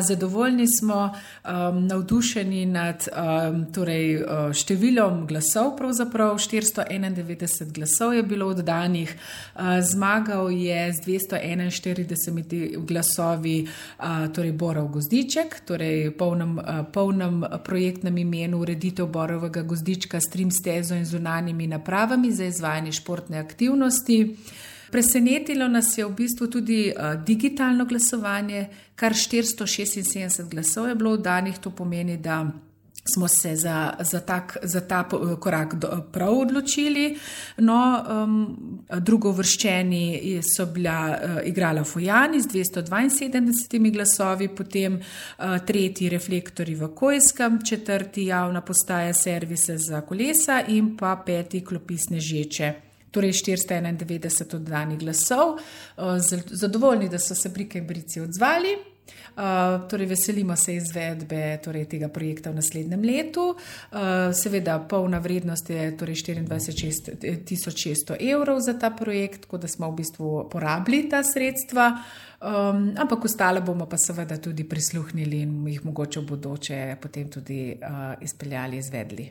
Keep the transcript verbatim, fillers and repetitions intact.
Zadovoljni smo, um, navdušeni nad um, torej, uh, številom glasov, pravzaprav štiristo enaindevetdeset glasov je bilo oddanih. Uh, zmagal je z dvesto enainštirideset glasovi uh, torej Borov Gozdiček, torej polnem, uh, polnem projektnem imenu ureditev Borovega Gozdička s trim stezo in zunanjimi napravami za izvajanje športne aktivnosti. Presenetilo nas je v bistvu tudi uh, digitalno glasovanje, kar štiristo šestinsedemdeset glasov je bilo oddanih, to pomeni, da smo se za, za, tak, za ta korak do, prav odločili. No, um, drugovrščeni so bila uh, igrala Fojani z dvesto dvainsedemdeset glasovi, potem uh, tretji Reflektorji v Kojskem, četrti javna postaja servise za kolesa in pa peti Klopi Snežeče. Torej štiristo enaindevetdeset oddanih glasov. Zadovoljni, da so se pri Kembrici odzvali. Torej veselimo se izvedbe torej tega projekta v naslednjem letu. Seveda polna vrednost je torej štiriindvajset tisoč šeststo evrov za ta projekt, tako da smo v bistvu porabili ta sredstva, ampak ostale bomo pa seveda tudi prisluhnili in jih mogoče v bodoče potem tudi izpeljali, izvedli.